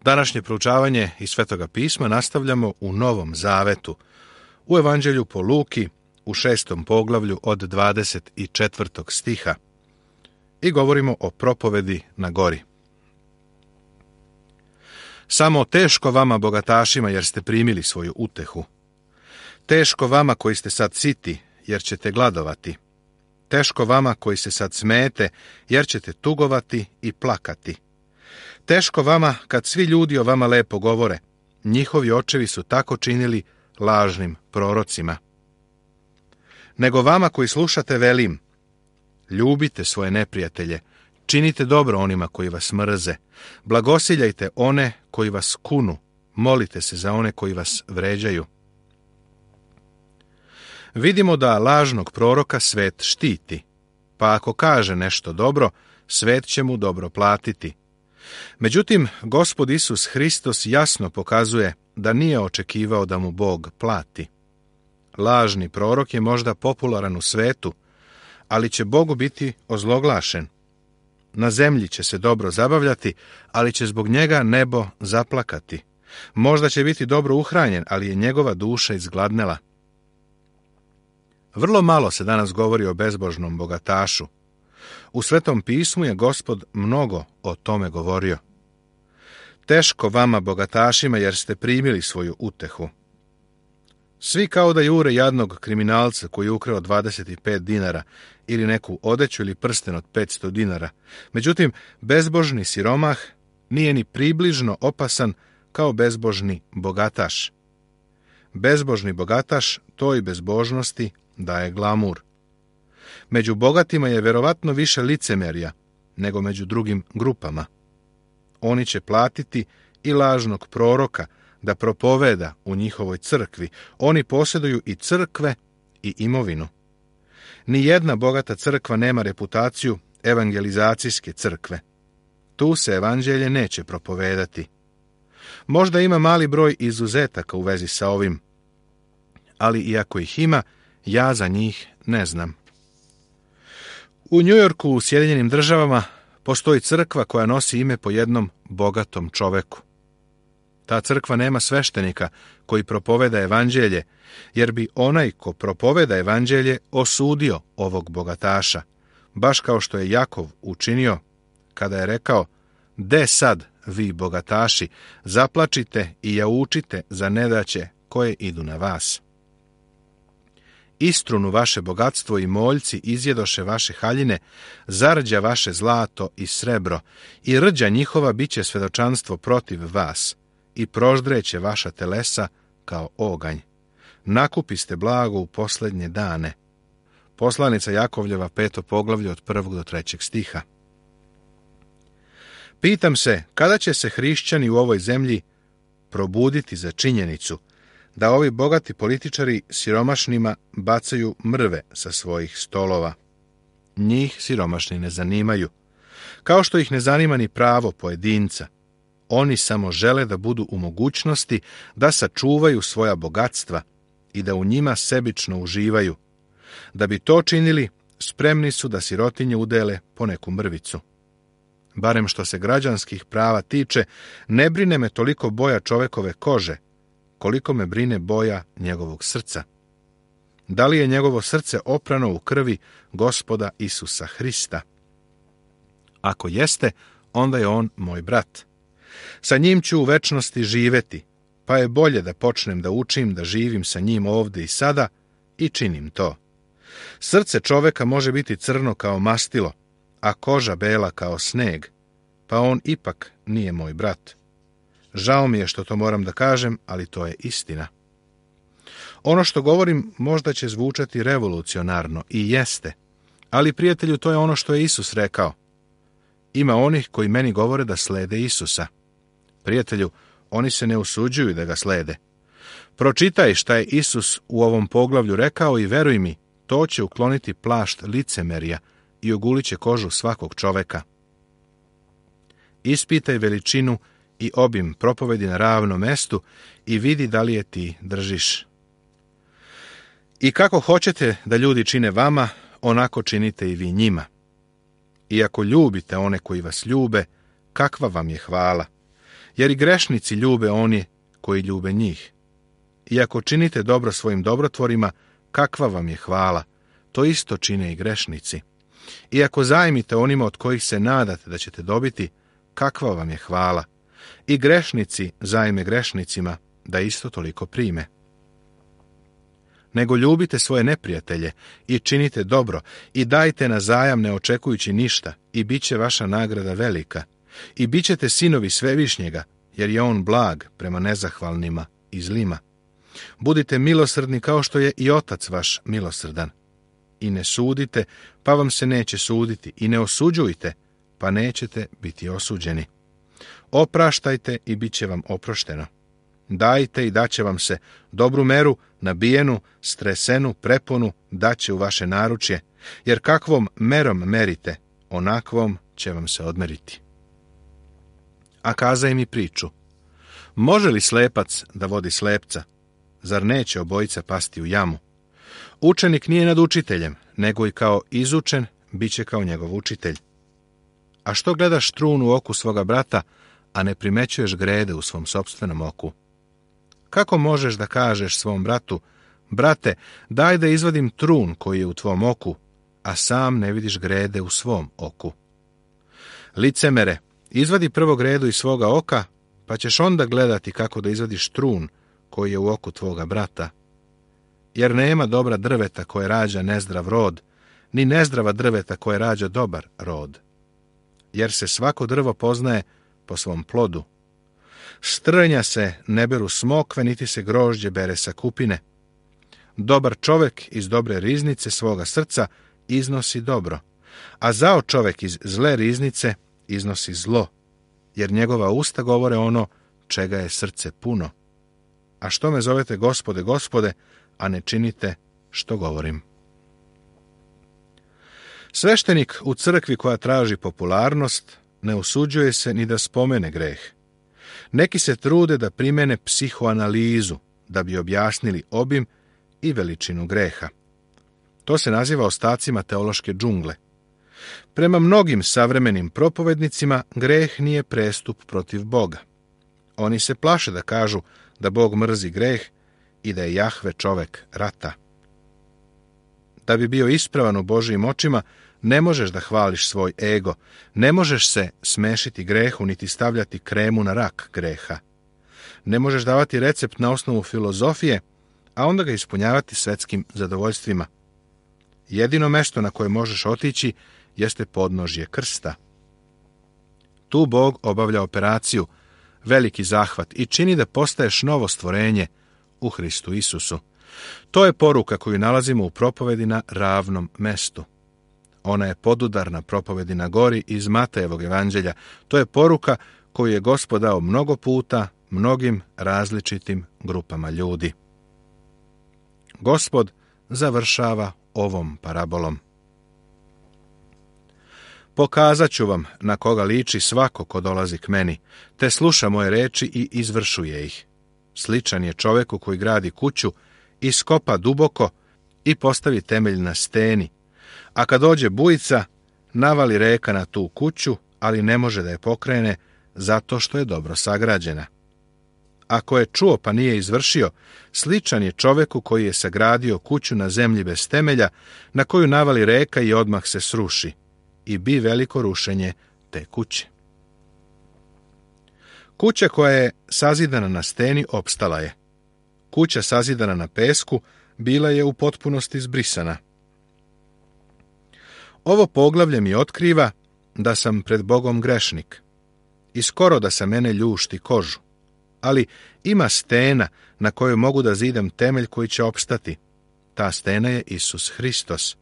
Današnje proučavanje iz Svetoga pisma nastavljamo u Novom Zavetu, u Evanđelju po Luki, u 6. poglavlju od 24. stiha i govorimo o propovedi na gori. Samo teško vama, bogatašima, jer ste primili svoju utehu. Teško vama koji ste sad siti, jer ćete gladovati. Teško vama koji se sad smete, jer ćete tugovati i plakati. Teško vama kad svi ljudi o vama lepo govore. Njihovi očevi su tako činili lažnim prorocima. Nego vama koji slušate velim, ljubite svoje neprijatelje, činite dobro onima koji vas mrze, blagosiljajte one koji vas kunu, molite se za one koji vas vređaju. Vidimo da lažnog proroka svet štiti, pa ako kaže nešto dobro, svet će mu dobro platiti. Međutim, Gospod Isus Hristos jasno pokazuje da nije očekivao da mu Bog plati. Lažni prorok je možda popularan u svetu, ali će Bogu biti ozloglašen. Na zemlji će se dobro zabavljati, ali će zbog njega nebo zaplakati. Možda će biti dobro uhranjen, ali je njegova duša izgladnela. Vrlo malo se danas govori o bezbožnom bogatašu. U Svetom pismu je Gospod mnogo o tome govorio. Teško vama, bogatašima, jer ste primili svoju utehu. Svi kao da jure jadnog kriminalca koji je ukrao 25 dinara ili neku odeću ili prsten od 500 dinara. Međutim, bezbožni siromah nije ni približno opasan kao bezbožni bogataš. Bezbožni bogataš toj bezbožnosti daje glamur. Među bogatima je verovatno više licemerja nego među drugim grupama. Oni će platiti i lažnog proroka da propoveda u njihovoj crkvi. Oni posjeduju i crkve i imovinu. Nijedna bogata crkva nema reputaciju evangelizacijske crkve. Tu se evanđelje neće propovedati. Možda ima mali broj izuzetaka u vezi sa ovim, ali iako ih ima, ja za njih ne znam. U Njujorku, u Sjedinjenim Državama, postoji crkva koja nosi ime po jednom bogatom čoveku. Ta crkva nema sveštenika koji propoveda evanđelje, jer bi onaj ko propoveda evanđelje osudio ovog bogataša, baš kao što je Jakov učinio kada je rekao: "De sad, vi bogataši, zaplačite i jaučite za nedaće koje idu na vas. Istrunu vaše bogatstvo i moljci izjedoše vaše haljine, zarđa vaše zlato i srebro, i rđa njihova biće svedočanstvo protiv vas, i proždreće vaša telesa kao oganj. Nakupiste blago u posljednje dane." Poslanica Jakovljeva, 5. poglavlje od 1. do 3. stiha. Pitam se, kada će se hrišćani u ovoj zemlji probuditi za činjenicu da ovi bogati političari siromašnima bacaju mrve sa svojih stolova. Njih siromašni ne zanimaju, kao što ih ne zanima ni pravo pojedinca. Oni samo žele da budu u mogućnosti da sačuvaju svoja bogatstva i da u njima sebično uživaju. Da bi to činili, spremni su da sirotinje udele po neku mrvicu. Barem što se građanskih prava tiče, ne brine me toliko boja čovekove kože, koliko me brine boja njegovog srca. Da li je njegovo srce oprano u krvi Gospoda Isusa Hrista? Ako jeste, onda je on moj brat. Sa njim ću u večnosti živeti, pa je bolje da počnem da učim da živim sa njim ovdje i sada i činim to. Srce čoveka može biti crno kao mastilo, a koža bela kao sneg, pa on ipak nije moj brat. Žao mi je što to moram da kažem, ali to je istina. Ono što govorim možda će zvučati revolucionarno, i jeste, ali prijatelju, to je ono što je Isus rekao. Ima onih koji meni govore da slede Isusa. Prijatelju, oni se ne usuđuju da ga slede. Pročitaj šta je Isus u ovom poglavlju rekao i veruj mi, to će ukloniti plašt licemerja i ogulit će kožu svakog čoveka. Ispitaj veličinu i obim propovedi na ravnom mestu i vidi da li je ti držiš. I kako hoćete da ljudi čine vama, onako činite i vi njima. I ako ljubite one koji vas ljube, kakva vam je hvala? jer i grešnici ljube oni koji ljube njih. I ako činite dobro svojim dobrotvorima, kakva vam je hvala? To isto čine i grešnici. I ako zajmite onima od kojih se nadate da ćete dobiti, kakva vam je hvala? I grešnici zajme grešnicima, da isto toliko prime. Nego ljubite svoje neprijatelje i činite dobro i dajte na zajam ne očekujući ništa i bit će vaša nagrada velika. I bit ćete sinovi Svevišnjega, jer je on blag prema nezahvalnima i zlima. Budite milosrdni kao što je i Otac vaš milosrdan. I ne sudite, pa vam se neće suditi. I ne osuđujte, pa nećete biti osuđeni. Opraštajte i bit će vam oprošteno. Dajte i daće vam se dobru meru, nabijenu, stresenu, preponu, daće u vaše naručje, jer kakvom merom merite, onakvom će vam se odmeriti. A kazaj mi priču. Može li slepac da vodi slepca? Zar neće obojica pasti u jamu? Učenik nije nad učiteljem, nego i kao izučen bit će kao njegov učitelj. A što gledaš trun u oku svoga brata, a ne primećuješ grede u svom sopstvenom oku? Kako možeš da kažeš svom bratu, brate, daj da izvadim trun koji je u tvom oku, a sam ne vidiš grede u svom oku? Licemere, izvadi prvo gredu iz svoga oka, pa ćeš onda gledati kako da izvadiš trun koji je u oku tvoga brata. Jer nema dobra drveta koje rađa nezdrav rod, ni nezdrava drveta koje rađa dobar rod. Jer se svako drvo poznaje po svom plodu. S trnja se ne beru smokve, niti se grožđe bere sa kupine. Dobar čovek iz dobre riznice svoga srca iznosi dobro, a zao čovek iz zle riznice iznosi zlo, jer njegova usta govore ono čega je srce puno. A što me zovete Gospode, Gospode, a ne činite što govorim? Sveštenik u crkvi koja traži popularnost ne usuđuje se ni da spomene greh. Neki se trude da primene psihoanalizu, da bi objasnili obim i veličinu greha. To se naziva ostacima teološke džungle. Prema mnogim savremenim propovednicima, greh nije prestup protiv Boga. Oni se plaše da kažu da Bog mrzi greh i da je Jahve čovek rata. Da bi bio ispravan u Božijim očima, ne možeš da hvališ svoj ego, ne možeš se smešiti grehu, niti stavljati kremu na rak greha. Ne možeš davati recept na osnovu filozofije, a onda ga ispunjavati svetskim zadovoljstvima. Jedino mesto na koje možeš otići jeste podnožje krsta. Tu Bog obavlja operaciju, veliki zahvat i čini da postaješ novo stvorenje u Hristu Isusu. To je poruka koju nalazimo u propovedi na ravnom mestu. Ona je podudarna propovedi na gori iz Matejevog evanđelja. To je poruka koju je Gospod dao mnogo puta, mnogim različitim grupama ljudi. Gospod završava ovom parabolom. Pokazat ću vam na koga liči svako ko dolazi k meni, te sluša moje reči i izvršuje ih. Sličan je čoveku koji gradi kuću, iskopa duboko i postavi temelj na steni. A kad dođe bujica, navali reka na tu kuću, ali ne može da je pokrene, zato što je dobro sagrađena. Ako je čuo pa nije izvršio, sličan je čoveku koji je sagradio kuću na zemlji bez temelja, na koju navali reka i odmah se sruši, i bi veliko rušenje te kuće. Kuća koja je sazidana na steni opstala je. Kuća sazidana na pesku bila je u potpunosti zbrisana. Ovo poglavlje mi otkriva da sam pred Bogom grešnik i skoro da sa mene ljušti kožu, ali ima stena na kojoj mogu da zidam temelj koji će opstati. Ta stena je Isus Hristos.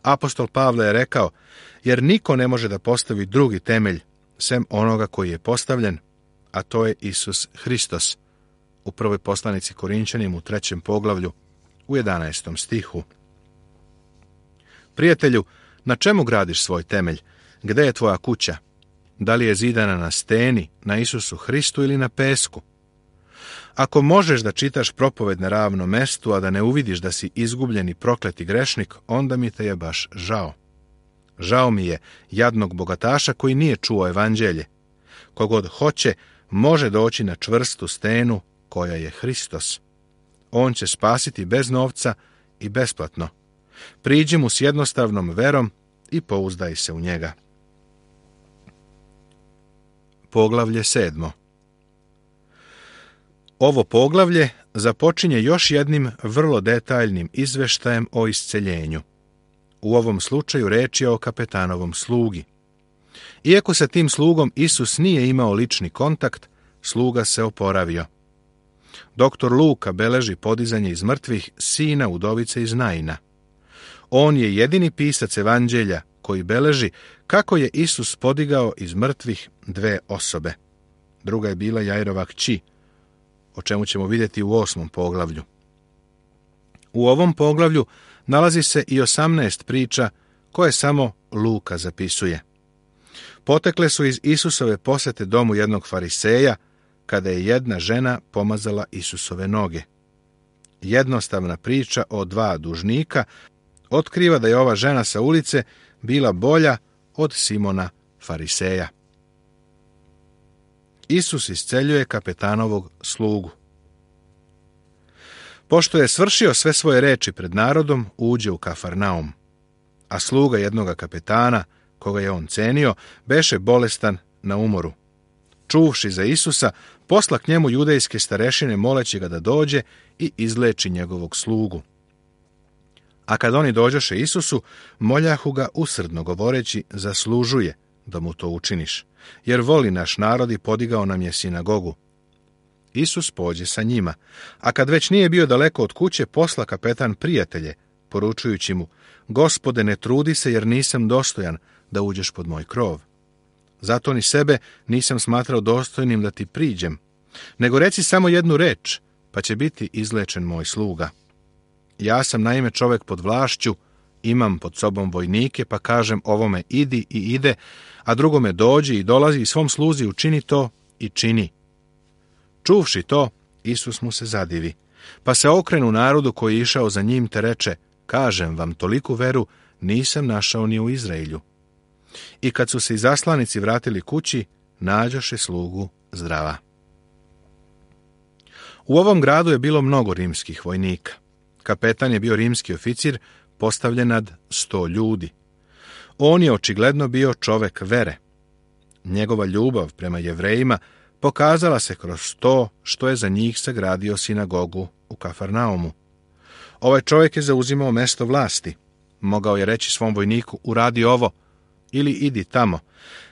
Apostol Pavle je rekao, jer niko ne može da postavi drugi temelj sem onoga koji je postavljen, a to je Isus Hristos. U prvoj poslanici Korinćanima u 3. poglavlju u 11. stihu. Prijatelju, na čemu gradiš svoj temelj? Gde je tvoja kuća? Da li je zidana na steni, na Isusu Hristu ili na pesku? Ako možeš da čitaš propoved na ravnom mestu, a da ne uvidiš da si izgubljen i prokleti grešnik, onda mi te je baš žao. Žao mi je jadnog bogataša koji nije čuo evanđelje. Kogod hoće, može doći na čvrstu stenu koja je Hristos. On će spasiti bez novca i besplatno. Priđi mu s jednostavnom verom i pouzdaj se u njega. Poglavlje 7. Ovo poglavlje započinje još jednim vrlo detaljnim izveštajem o isceljenju. U ovom slučaju reč je o kapetanovom slugi. Iako sa tim slugom Isus nije imao lični kontakt, sluga se oporavio. Doktor Luka beleži podizanje iz mrtvih sina udovice iz Naina. On je jedini pisac evanđelja koji beleži kako je Isus podigao iz mrtvih dve osobe. Druga je bila Jairova kći, o čemu ćemo vidjeti u 8. poglavlju. U ovom poglavlju nalazi se i 18 priča koje samo Luka zapisuje. Potekle su iz Isusove posete domu jednog fariseja, kada je jedna žena pomazala Isusove noge. Jednostavna priča o dva dužnika otkriva da je ova žena sa ulice bila bolja od Simona fariseja. Isus isceljuje kapetanovog slugu. Pošto je svršio sve svoje reči pred narodom, uđe u Kafarnaum. A sluga jednoga kapetana, koga je on cenio, beše bolestan na umoru. Čuvši za Isusa, posla k njemu judejske starešine moleći ga da dođe i izleči njegovog slugu. A kad oni dođoše Isusu, moljahu ga usrdno govoreći, zaslužuje da mu to učiniš, jer voli naš narod i podigao nam je sinagogu. Isus pođe sa njima, a kad već nije bio daleko od kuće, posla kapetan prijatelje, poručujući mu, Gospode, ne trudi se, jer nisam dostojan da uđeš pod moj krov. Zato ni sebe nisam smatrao dostojnim da ti priđem, nego reci samo jednu reč, pa će biti izlečen moj sluga. Ja sam naime čovjek pod vlašću, imam pod sobom vojnike, pa kažem ovome idi i ide, a drugome dođi i dolazi i svom sluzi učini to i čini. Čuvši to, Isus mu se zadivi, pa se okrenu narodu koji je išao za njim te reče, kažem vam, toliku veru nisam našao ni u Izraelju. I kad su se izaslanici vratili kući, nađoše slugu zdrava. U ovom gradu je bilo mnogo rimskih vojnika. Kapetan je bio rimski oficir, postavljen nad 100 ljudi. On je očigledno bio čovek vere. Njegova ljubav prema Jevrejima pokazala se kroz to što je za njih sagradio sinagogu u Kafarnaumu. Ovaj čovjek je zauzimao mesto vlasti. Mogao je reći svom vojniku, uradi ovo, ili idi tamo,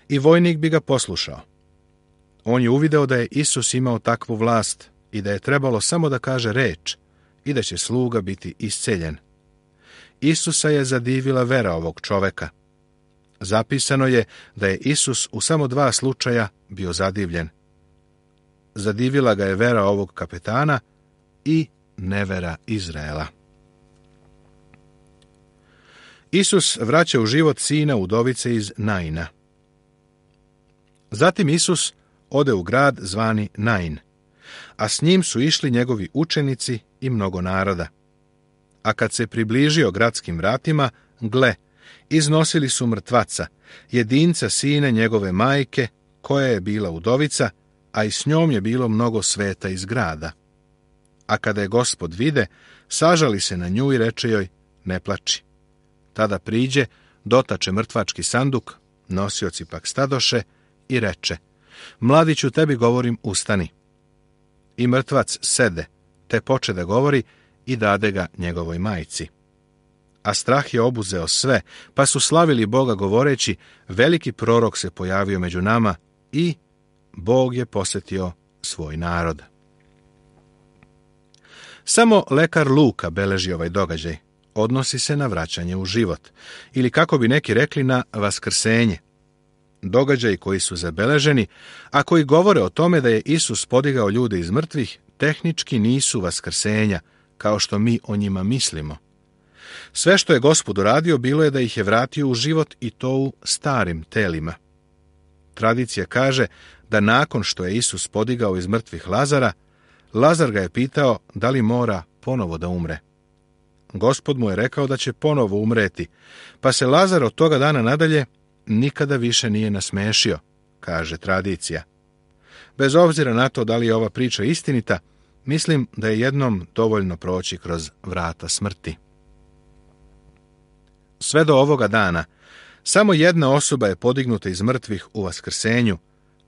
i vojnik bi ga poslušao. On je uvideo da je Isus imao takvu vlast i da je trebalo samo da kaže reč i da će sluga biti isceljen. Isusa je zadivila vera ovog čoveka. Zapisano je da je Isus u samo 2 slučaja bio zadivljen. Zadivila ga je vera ovog kapetana i nevera Izraela. Isus vraća u život sina udovice iz Naina. Zatim Isus ode u grad zvani Nain, a s njim su išli njegovi učenici i mnogo naroda. A kad se približio gradskim vratima, gle, iznosili su mrtvaca, jedinca sina njegove majke, koja je bila udovica, a i s njom je bilo mnogo sveta iz grada. A kada je Gospod vide, sažali se na nju i reče joj, ne plači. Tada priđe, dotače mrtvački sanduk, nosioci pak stadoše i reče, mladiću, tebi govorim, ustani. I mrtvac sede, te poče da govori i dade ga njegovoj majci. A strah je obuzeo sve, pa su slavili Boga govoreći, veliki prorok se pojavio među nama i Bog je posjetio svoj narod. Samo lekar Luka beleži ovaj događaj. Odnosi se na vraćanje u život, ili kako bi neki rekli na vaskrsenje. Događaji koji su zabeleženi, a koji govore o tome da je Isus podigao ljude iz mrtvih, tehnički nisu vaskrsenja, kao što mi o njima mislimo. Sve što je Gospod uradio bilo je da ih je vratio u život i to u starim telima. Tradicija kaže da nakon što je Isus podigao iz mrtvih Lazara, Lazar ga je pitao da li mora ponovo da umre. Gospod mu je rekao da će ponovo umreti, pa se Lazar od toga dana nadalje nikada više nije nasmešio, kaže tradicija. Bez obzira na to da li je ova priča istinita, mislim da je jednom dovoljno proći kroz vrata smrti. Sve do ovoga dana, samo jedna osoba je podignuta iz mrtvih u vaskrsenju,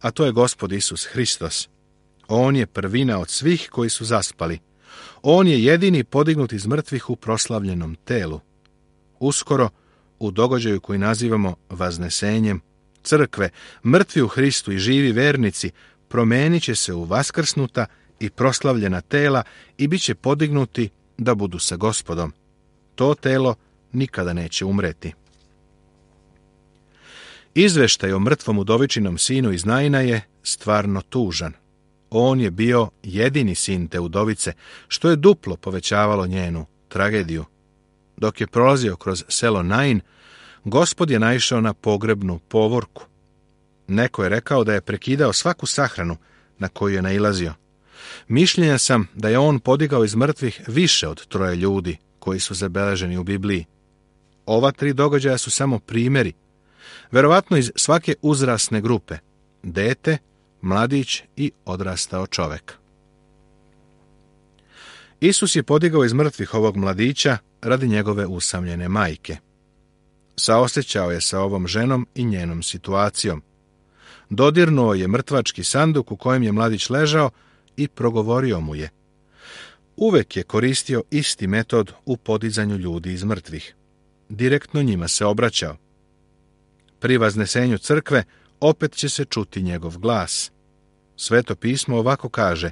a to je Gospod Isus Hristos. On je prvina od svih koji su zaspali. On je jedini podignut iz mrtvih u proslavljenom telu. Uskoro, u događaju koji nazivamo vaznesenjem crkve, mrtvi u Hristu i živi vernici promenit će se u vaskrsnuta i proslavljena tela i bit će podignuti da budu sa Gospodom. To telo nikada neće umreti. Izveštaj o mrtvom udovičinom sinu iz Naina je stvarno tužan. On je bio jedini sin te udovice, što je duplo povećavalo njenu tragediju. Dok je prolazio kroz selo Nain, Gospod je naišao na pogrebnu povorku. Neko je rekao da je prekidao svaku sahranu na koju je nailazio. Mišljenja sam da je on podigao iz mrtvih više od 3 ljudi koji su zabeleženi u Bibliji. Ova 3 događaja su samo primjeri, verovatno iz svake uzrasne grupe: dete, mladić i odrastao čovek. Isus je podigao iz mrtvih ovog mladića radi njegove usamljene majke. Saosećao je sa ovom ženom i njenom situacijom. Dodirnuo je mrtvački sanduk u kojem je mladić ležao i progovorio mu je. Uvek je koristio isti metod u podizanju ljudi iz mrtvih. Direktno njima se obraćao. Pri vaznesenju crkve opet će se čuti njegov glas. Sveto pismo ovako kaže: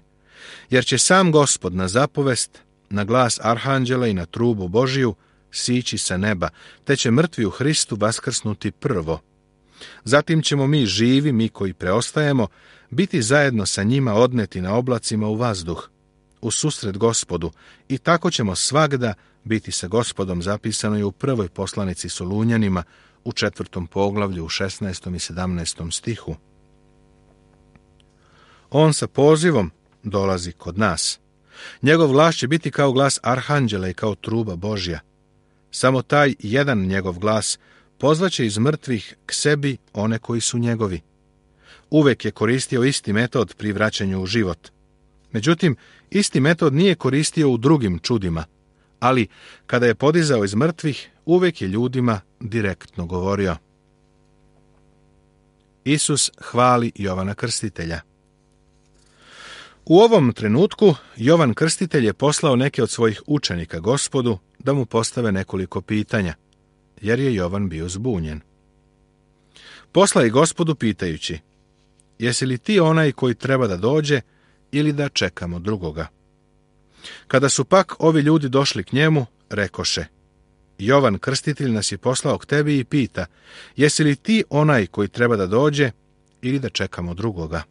jer će sam Gospod na zapovest, na glas arhanđela i na trubu Božiju sići sa neba, te će mrtvi u Hristu vaskrsnuti prvo. Zatim ćemo mi živi, mi koji preostajemo, biti zajedno sa njima odneti na oblacima u vazduh, u susret Gospodu, i tako ćemo svagda biti sa Gospodom, zapisano je u 1. poslanici Solunjanima u 4. poglavlju u 16. i 17. stihu. On sa pozivom dolazi kod nas. Njegov glas će biti kao glas arhanđela i kao truba Božja. Samo taj jedan njegov glas pozvaće iz mrtvih k sebi one koji su njegovi. Uvek je koristio isti metod pri vraćanju u život. Međutim, isti metod nije koristio u drugim čudima, ali kada je podizao iz mrtvih, uvek je ljudima direktno govorio. Isus hvali Jovana Krstitelja. U ovom trenutku Jovan Krstitelj je poslao neke od svojih učenika Gospodu da mu postave nekoliko pitanja, jer je Jovan bio zbunjen. Posla je Gospodu pitajući: jesi li ti onaj koji treba da dođe ili da čekamo drugoga? Kada su pak ovi ljudi došli k njemu, rekoše: Jovan Krstitelj nas je poslao k tebi i pita: jesi li ti onaj koji treba da dođe ili da čekamo drugoga?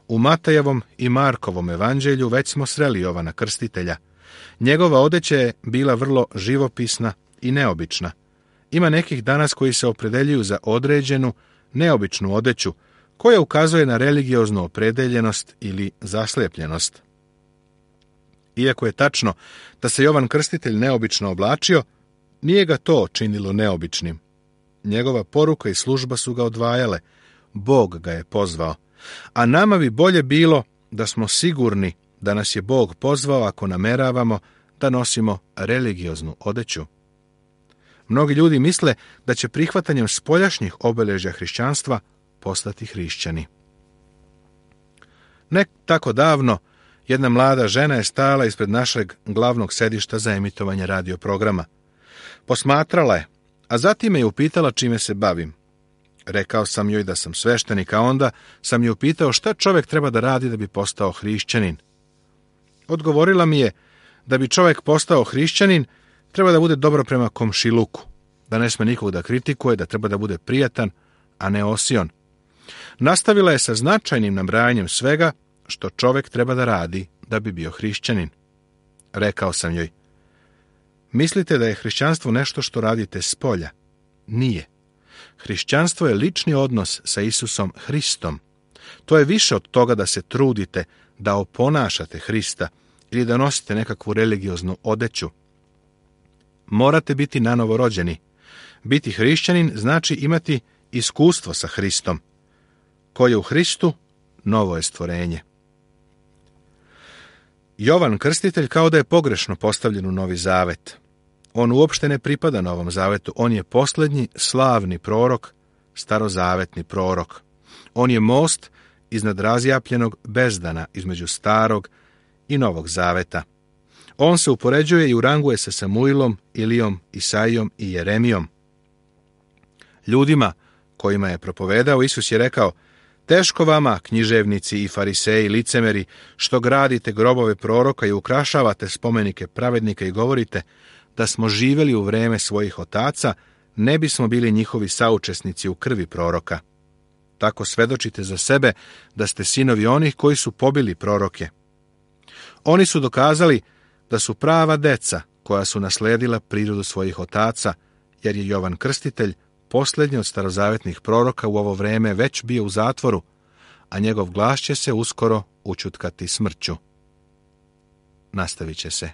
U Matajevom i Markovom evanđelju već smo sreli Jovana Krstitelja. Njegova odeća je bila vrlo živopisna i neobična. Ima nekih danas koji se opredeljuju za određenu, neobičnu odeću, koja ukazuje na religioznu opredeljenost ili zaslepljenost. Iako je tačno da se Jovan Krstitelj neobično oblačio, nije ga to činilo neobičnim. Njegova poruka i služba su ga odvajale, Bog ga je pozvao, a nama bi bolje bilo da smo sigurni da nas je Bog pozvao ako nameravamo da nosimo religioznu odeću. Mnogi ljudi misle da će prihvatanjem spoljašnjih obeležja hrišćanstva postati hrišćani. Ne tako davno, jedna mlada žena je stajala ispred našeg glavnog sedišta za emitovanje radio programa. Posmatrala je, a zatim me je upitala čime se bavim. Rekao sam joj da sam sveštenik, a onda sam je upitao šta čovjek treba da radi da bi postao hrišćanin. Odgovorila mi je da bi čovjek postao hrišćanin, treba da bude dobro prema komšiluku, da ne sme nikog da kritikuje, da treba da bude prijatan, a ne osion. Nastavila je sa značajnim nabrajanjem svega što čovjek treba da radi da bi bio hrišćanin. Rekao sam joj: mislite da je hrišćanstvo nešto što radite spolja? Nije. Hrišćanstvo je lični odnos sa Isusom Hristom. To je više od toga da se trudite da oponašate Hrista ili da nosite nekakvu religioznu odeću. Morate biti nanovo rođeni. Biti hrišćanin znači imati iskustvo sa Hristom. Ko je u Hristu, novo je stvorenje. Jovan Krstitelj kao da je pogrešno postavljen u Novi Zavet. On uopšte ne pripada Novom Zavetu, on je posljednji slavni prorok, starozavetni prorok. On je most iznad razjapljenog bezdana između starog i Novog Zaveta. On se upoređuje i uranguje sa Samuilom, Ilijom, Isaijom i Jeremijom. Ljudima kojima je propovedao, Isus je rekao: teško vama, književnici i fariseji, licemeri, što gradite grobove proroka i ukrašavate spomenike pravednika i govorite da smo živjeli u vreme svojih otaca, ne bismo bili njihovi saučesnici u krvi proroka. Tako svedočite za sebe da ste sinovi onih koji su pobili proroke. Oni su dokazali da su prava deca koja su nasledila prirodu svojih otaca, jer je Jovan Krstitelj, posljednji od starozavetnih proroka, u ovo vreme već bio u zatvoru, a njegov glas će se uskoro učutkati smrću. Nastavit će se.